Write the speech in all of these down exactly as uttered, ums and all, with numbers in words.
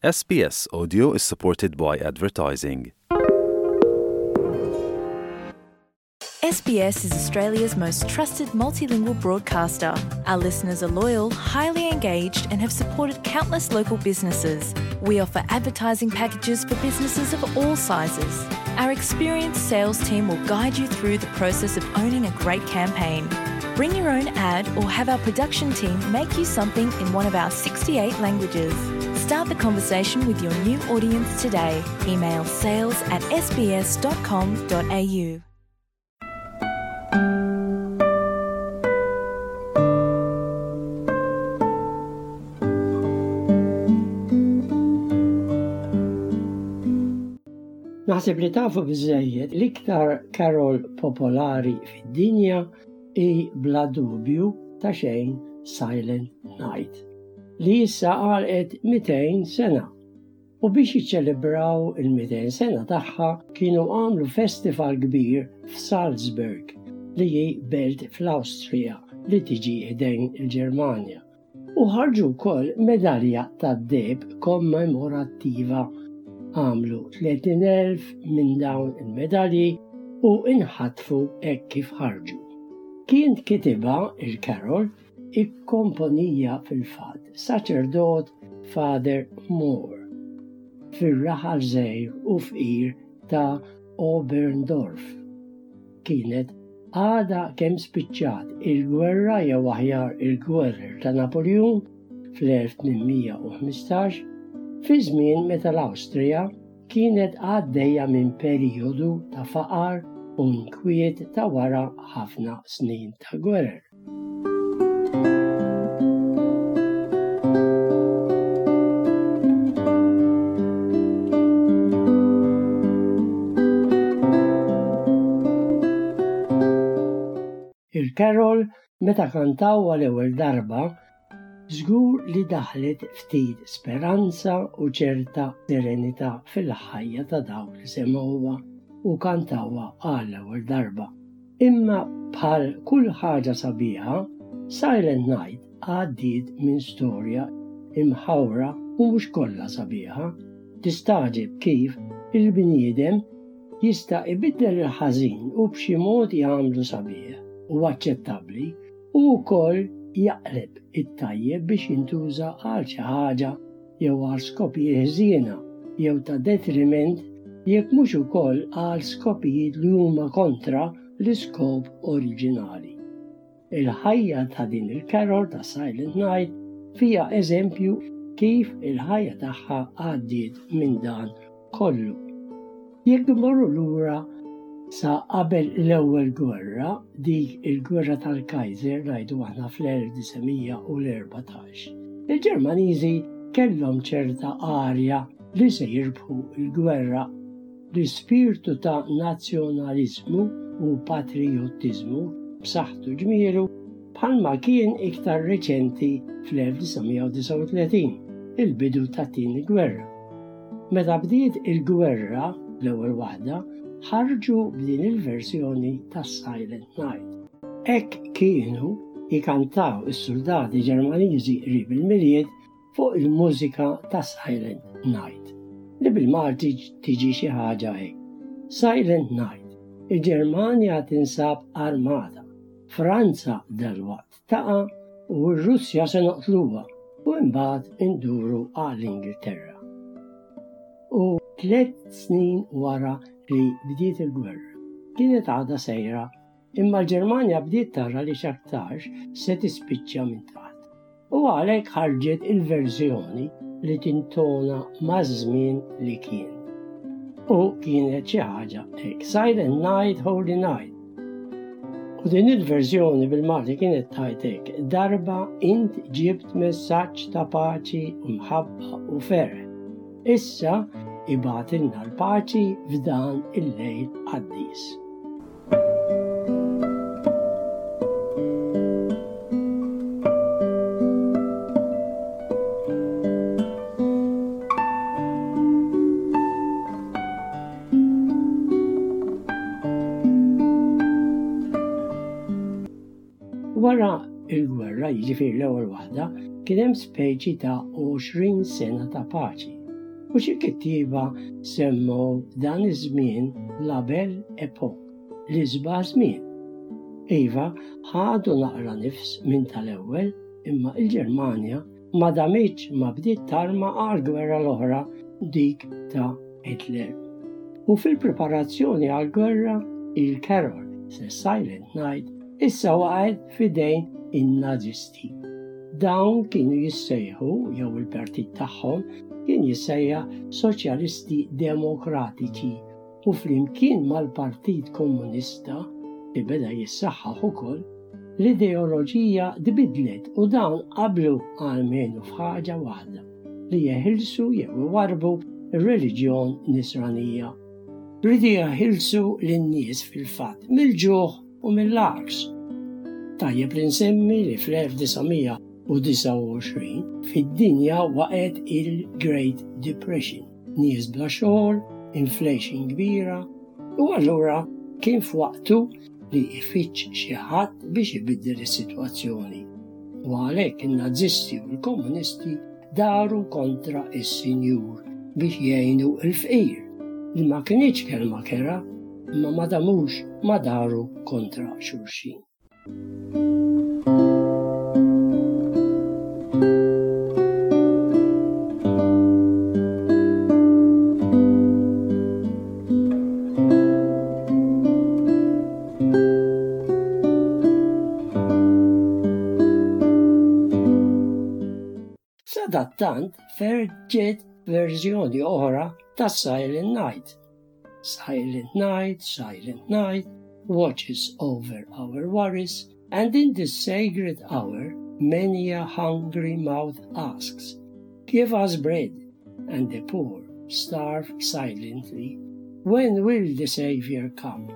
S B S Audio is supported by advertising. S B S is Australia's most trusted multilingual broadcaster. Our listeners are loyal, highly engaged, and have supported countless local businesses. We offer advertising packages for businesses of all sizes. Our experienced sales team will guide you through the process of owning a great campaign. Bring your own ad or have our production team make you something in one of our sixty-eight languages. Start the conversation with your new audience today. Email sales at S B S dot com dot A U. Naħseb li tafu biżżejjed l-iktar carol popolari fid-dinja hi bla dubju ta' xejn Silent Night, li issa għalqet mitejn sena. U biex jiċċelebraw il-mitejn sena tagħha kienu għamlu festival kbir f'Salzburg, li hi belt fl-Awstrija li tiġi ħdejn il-Ġermanja. U ħarġu wkoll medalja tad-deheb kommemorattiva. Għamlu tletin elf minn dawn il-medalji u inħatfu hekk kif ħarġu. Kien kitibha il-carol, ikkomponieha fil-fatt saċerdot, Father Moore, fir-raħal żgħir u fqir ta' Oberndorf. Kienet għada kemm spiċċat il-gwerra, jew aħjar il-gwerra ta' Napoleon fl-elf tmien mija u ħmistax, fi żmien meta l-Awstrija kienet għaddejja minn perjodu ta' faqar u nkwiet ta' wara ħafna snin ta' gwerer. Il-carol meta kantaw għal-ewwel darba żgur li daħlet ftit speranza u ċerta serenità fil-ħajja ta' dawk li semgħuha u kantawha għall-ewwel darba. Imma bħal kull ħaġa sabiħa, Silent Night għaddiet minn storja imħawra u mhux kollha sabiħa. Tistagħġeb kif il-bniedem jista' ibiddel il-ħażin u b'xi mod jagħmlu sabiħ u aċċettabbli u wkoll jaqleb it-tajjeb biex jintuża għal xi ħaġa jew għal skopijiet ħżiena jew ta' detriment, jekk mhux ukoll għal skopijiet li huma kontra l-iskop oriġinali. Il-ħajja ta' din il-carol ta' Silent Night fiha eżempju kif il-ħajja tagħha għaddiet minn dan kollu. Jekk imorru lura sa qabel l-ewwel gwerra, dik il-gwerra tal-Kaiser ngħidu aħna fl-elf disa' mija u erbatax, il-Ġermaniżi kellhom ċerta arja li se jirbħu l-gwerra. L-ispirtu ta' nazzjonaliżmu u patriottiżmu b'saħħtu ġmielu bħalma kien iktar reċenti fl-elf disa' mija u disgħa u tletin, il-bidu tat-tieni gwerra. Meta bdiet il-gwerra, l-ewwel waħda, ħarġu b'din il-verżjoni ta' Silent Night. Hekk kienu jikantaw is-soldati Ġermaniżi qrib il-Milied fuq il-mużika ta' Silent Night, li bil-Malti tiġi xi ħaġa hekk. Silent Night, il-Ġermanja tinsab armata, Franza dalwaqt taqa' u r-Russja se noqtluha u imbagħad induru għall-Ingilterra. U tliet snin wara li bdiet il-gwerra, kienet għadha sejra, imma l-Ġermanja bdiet tara li x'aktarx se tispiċċa minn taħt. U għalhekk ħarġet il-verżjoni li tintona maż-żmien li kien. U kienet xi ħaġa hekk, Silent Night, Holy Night. U din il-verżjoni bil-Malti kienet tgħid hekk, darba int ġibt messaġġ ta' paċi u mħabba u ferħ. Issa ibgħatilna l-paċi f'dan il-lejl qaddis. Wara il-gwerra, jiġifieri l-ewwel waħda, kien hemm speċi ta' għoxrin sena ta' paċi. U xi kittieba semmew dan iż-żmien la belle époque, l-isbaħ żmien. Iva, ħadu naqra nifs minn tal-ewwel, imma il-Ġermanja ma damitx ma bdiet tarma għal-gwerra l-oħra, dik ta' Hitler. U fil-preparazzjoni għal-gwerra, il-Carol The Silent Night issa waqgħet f'idejn in-Nazisti. Dawn kienu jissejħu, jew il-partit tagħhom kien jissejjaħ Soċjalisti Demokratiċi, u flimkien mal-Partit Komunista li beda jissaħħaħ ukoll, l-ideoloġija tbidlet u dawn qablu għalmenu f'ħaġa waħda, li jeħilsu jew iwarbu ir-reliġjon nisranija. Riedu jeħilsu lin-nies fil-fatt mill-ġuħ u mill-għaks. Tajjeb li nsemmi li fl-elf disa' mija u disgħa u għoxrin fid-dinja waqgħet il-Great Depression. Nies bla xogħol, inflation kbira, u allura kien f'waqtu li jfittx xi ħadd biex ibiddel is-sitwazzjoni. U għalhekk in-Nazisti u l-Komunisti daru kontra is-Sinjur biex jgħinu l-fqir, li ma kinitx kelma kerha, imma ma damux ma daru kontra xulxin. Sadattant feġġet verżjoni oħra ta' Silent Night. Silent Night, Silent Night, watches over our worries, and in this sacred hour many a hungry mouth asks, give us bread, and the poor starve silently. When will the Savior come?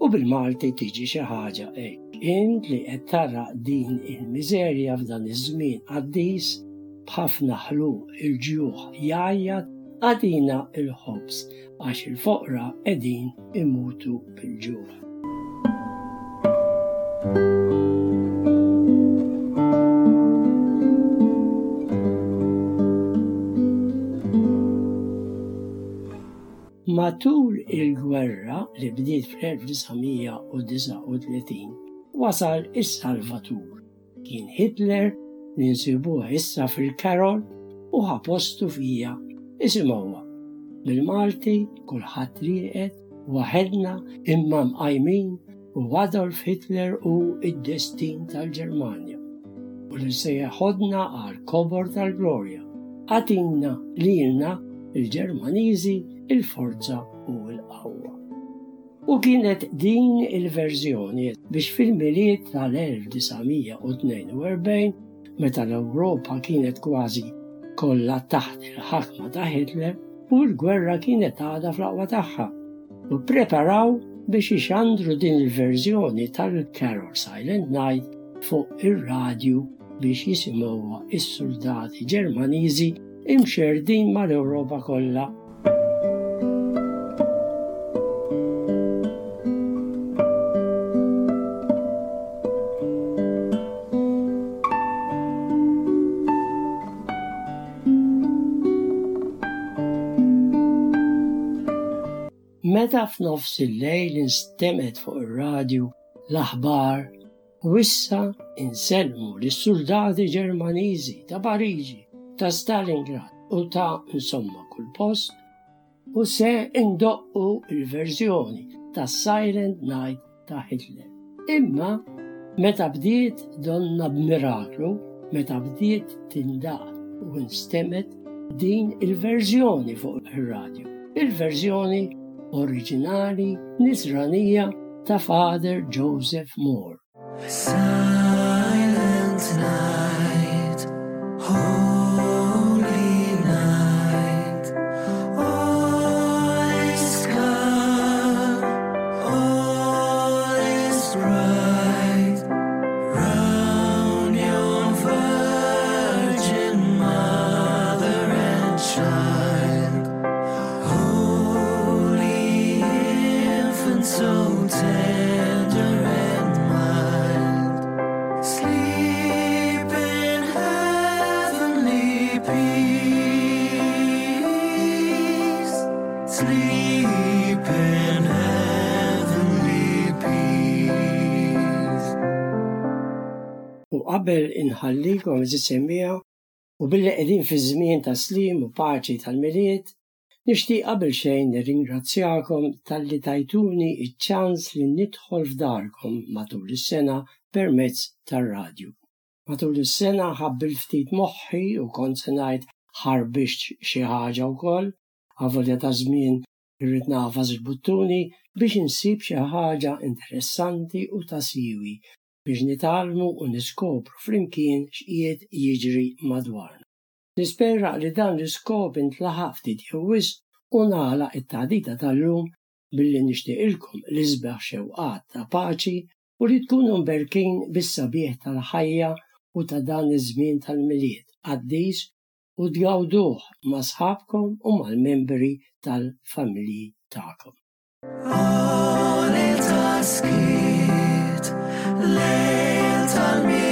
U bil-Malti tiġi xi ħaġa hekk. Int li qed tara din il-miżerja f'dan iż-żmien qaddis, b'ħafna ħluq il-ġuħ jgħajjat, agħtina il-ħobż għax il-foqra qegħdin imutu bil-ġuħ. Matul il-gwerra li bdiet fl-elf disa' mija u disgħa u tletin wasal is-Salvatur. Kien Hitler li nsibuh issa fil-Carol u ħa postu fija. Isimgħuha. Bil-Malti kulħadd rieqed, waħedna imma mqajmin, u Adolf Hitler hu id-destin tal-Ġermanja. U li se jeħodna għal kobor tal-glorja. Agħtina lilna il-Ġermaniżi il-forza u l-qawwa. U kienet din il-verżjoni biex fil-Milied tal-elf disa' mija u tnejn u erbgħin, meta l-Ewropa kienet kważi kollha taħt il-ħakma ta' Hitler u l-gwerra kienet għadha fl-aqwa tagħha, u preparaw biex ixandru din il-verżjoni tal-Carol Silent Night fuq ir-radju biex jisimgħuha is-soldati Ġermaniżi imxerdin mal-Ewropa kollha. Meta f'nofs il-lejl instemgħet fuq ir-radju l-aħbar, u issa insellmu lis-soldati Ġermaniżi ta' Pariġi, ta' Stalingrad u ta' insomma kull post, u se indoqqu il-verżjoni ta' Silent Night ta' Hitler. Imma meta bdiet, donna b'miraklu, meta bdiet tindaq u instemgħet din il-verżjoni fuq ir-radju, il-verżjoni oriġinali nisranija ta' Father Joseph Mohr. Silent night, holy night, all is calm, all is bright, round yon virgin mother and child, holy infant so tender and mild, sleep in heavenly peace. Sleep in heavenly peace. U qabel inħallikom, għeżież semmiegħa, u billi qegħdin fi żmien ta' slim u paċi tal-Milied, nixtieq qabel xejn nirringrazzjakom talli tajtuni iċ-ċans li nidħol f'darkom matul is-sena permezz tar-radju. Matul is-sena ħabbilt ftit moħħi u kont se ngħid ħarbixt xi ħaġa wkoll, avolja ta' żmien irrid nagħfas il-buttuni biex insib xi ħaġa interessanti u ta' siwi biex nitgħallmu u niskopru flimkien x'qiegħed jiġri madwarna. Nispera li dan l-iskop intlaħaq ftit jew wisq u nagħlaq it-taħdita tal-lum billi nixtieqilkom l-isbaħ xewqat ta' paċi u li tkunu mberkin bis-sabiħ tal-ħajja u ta' dan iż-żmien tal-Milied qaddis u tgawduh ma' sħabkom u mal-membri tal-familji tagħkom. O lejl ta' skiet, lejl tal-Milied.